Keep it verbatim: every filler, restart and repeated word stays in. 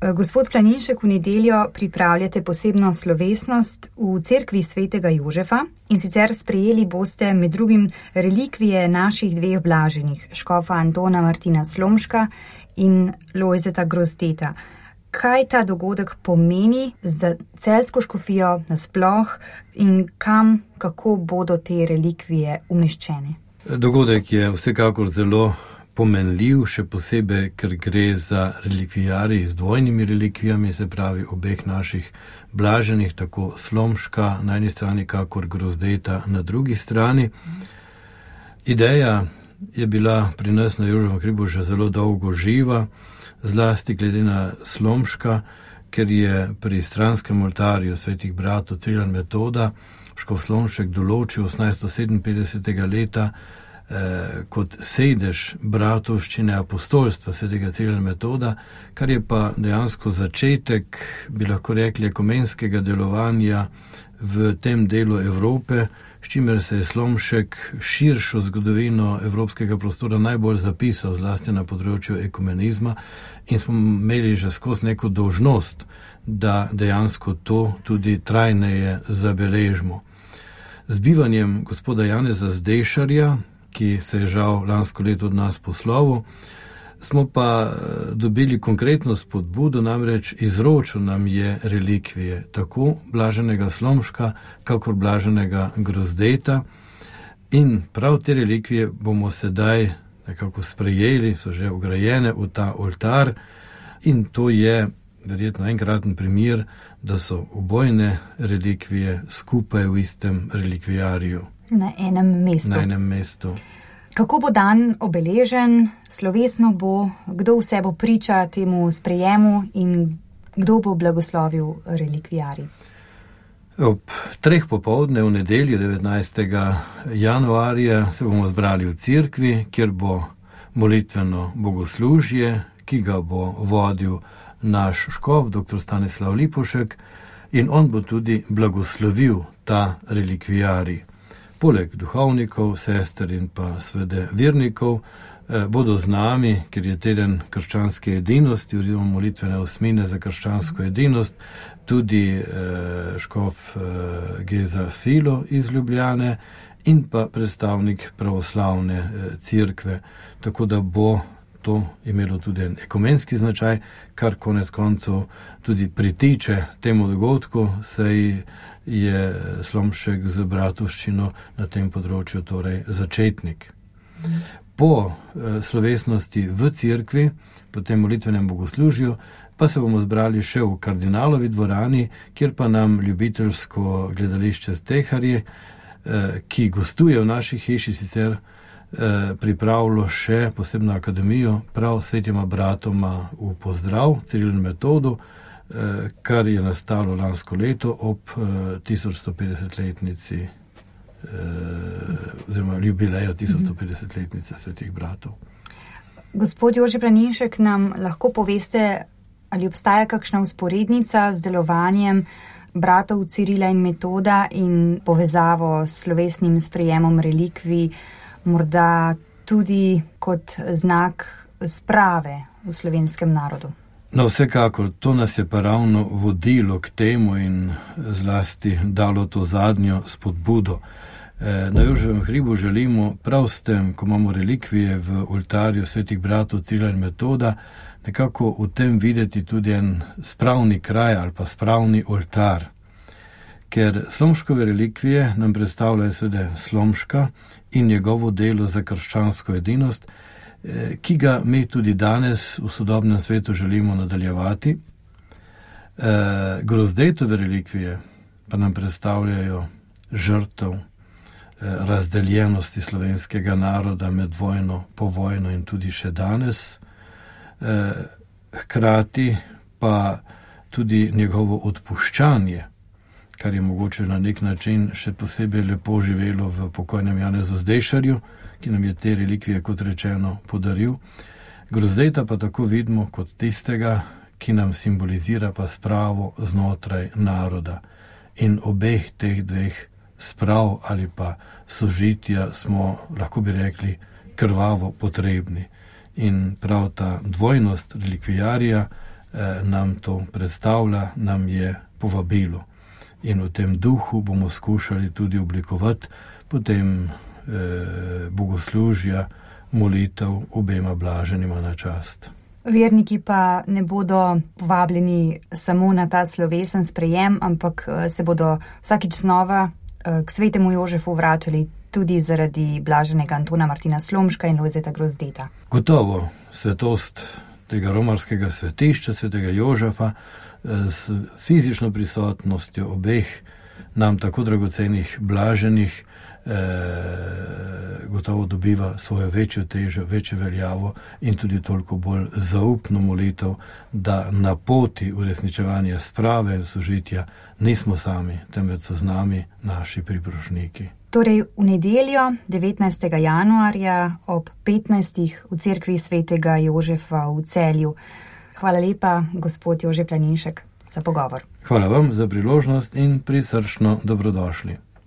Gospod Planinšek, v nedeljo pripravljate posebno slovesnost v cerkvi svetega Jožefa in sicer sprejeli boste med drugim relikvije naših dveh blaženih, škofa Antona Martina Slomška in Lojzeta Grozdeta. Kaj ta dogodek pomeni za celjsko škofijo nasploh in kam, kako bodo te relikvije umeščene? Dogodek je vsekakor zelo pomenljiv, še posebej, ker gre za relikvijarij z dvojnimi relikvijami, se pravi obeh naših blaženih, tako Slomška na eni strani, kakor Grozdeta na drugi strani. Ideja je bila pri nas na Jožefovem hribu že zelo dolgo živa, zlasti glede na Slomška, ker je pri stranskem oltarju svetih bratov Cirila in Metoda škof Slomšek določil osemnajststo sedeminpetdesetega leta eh, kot sedež bratovščine apostolstva svetega Cirila in Metoda, kar je pa dejansko začetek, bi lahko rekli, ekumenskega delovanja v tem delu Evrope, s čimer se je Slomšek širšo zgodovino evropskega prostora najbolj zapisal, zlasti na področju ekumenizma, in smo imeli že skozi neko dolžnost, da dejansko to tudi trajneje zabeležimo. Z bivanjem gospoda Janeza Zdešarja, ki se je žal lansko leto od nas poslovil, smo pa dobili konkretno spodbudo, namreč izročil nam je relikvije, tako blaženega Slomška, kakor blaženega Grozdeta, in prav te relikvije bomo sedaj nekako sprejeli, so že vgrajene v ta oltar, in to je verjetno enkraten primer, da so obojne relikvije skupaj v istem relikvijariju. Na enem mestu. Na enem mestu. Kako bo dan obeležen, slovesno bo, kdo vse bo priča temu sprejemu in kdo bo blagoslovil relikvijarij? Ob treh popoldne v nedeljo devetnajstega januarja se bomo zbrali v cerkvi, kjer bo molitveno bogoslužje, ki ga bo vodil naš škof, doktor Stanislav Lipovšek, in on bo tudi blagoslovil ta relikvijarij. Poleg duhovnikov, sester in pa svede vernikov eh, bodo z nami, ker je teden krščanske edinosti oziroma molitvene osmine za krščansko edinost, tudi eh, škof eh, Geza Filo iz Ljubljane in pa predstavnik pravoslavne eh, cerkve, tako da bo to imelo tudi en ekumenski značaj, kar konec koncev tudi pritiče temu dogodku, saj je Slomšek z bratovščino na tem področju torej začetnik. Po eh, slovesnosti v cerkvi, po tem molitvenem bogoslužju, pa se bomo zbrali še v kardinalovi dvorani, kjer pa nam ljubiteljsko gledališče Steharji, eh, ki gostuje v naši hiši, sicer eh, pripravilo še posebno akademijo prav svetima bratoma v pozdrav Cirilu in Metodu, kar je nastalo lansko leto ob tisoč sto petdesetletnici oziroma jubileju tisoč sto petdesetletnice svetih bratov. Gospod Jože Planinšek, nam lahko poveste, ali obstaja kakšna vzporednica z delovanjem bratov Cirila in Metoda in povezavo s slovesnim sprejemom relikvij, morda tudi kot znak sprave v slovenskem narodu? No, vsekakor, to nas je pa ravno vodilo k temu in zlasti dalo to zadnjo spodbudo. Na Jožefovem hribu želimo prav s tem, ko imamo relikvije v oltarju svetih bratov Cirila in Metoda, nekako v tem videti tudi en spravni kraj ali pa spravni oltar. Ker Slomškove relikvije nam predstavljajo seveda Slomška in njegovo delo za krščansko edinost, ki ga mi tudi danes v sodobnem svetu želimo nadaljevati. Grozdetove relikvije pa nam predstavljajo žrtev razdeljenosti slovenskega naroda med vojno, po vojno in tudi še danes. Hkrati pa tudi njegovo odpuščanje, kar je mogoče na nek način še posebej lepo živelo v pokojnem Janezu Zdešarju, ki nam je te relikvije, kot rečeno, podaril. Grozdeta pa tako vidimo kot tistega, ki nam simbolizira pa spravo znotraj naroda. In obeh teh dveh sprav ali pa sožitja smo, lahko bi rekli, krvavo potrebni. In prav ta dvojnost relikvijarija nam to predstavlja, nam je povabilo. In v tem duhu bomo skušali tudi oblikovati potem eh, bogoslužja, molitev obema blaženima na čast. Verniki pa ne bodo povabljeni samo na ta slovesen sprejem, ampak se bodo vsakič znova k svetemu Jožefu vračali tudi zaradi blaženega Antona Martina Slomška in Lojzeta Grozdeta. Gotovo, svetost tega romarskega svetišča, svetega Jožefa, s fizično prisotnostjo obeh nam tako dragocenih blaženih, Eh, gotovo dobiva svojo večjo težo, večjo veljavo in tudi toliko bolj zaupno molitev, da na poti uresničevanja sprave in sožitja nismo sami, temveč so z nami naši priprošniki. Torej v nedeljo devetnajstega januarja ob petnajstih v cerkvi svetega Jožefa v Celju. Hvala lepa, gospod Jože Planinšek, za pogovor. Hvala vam za priložnost in prisrčno dobrodošli.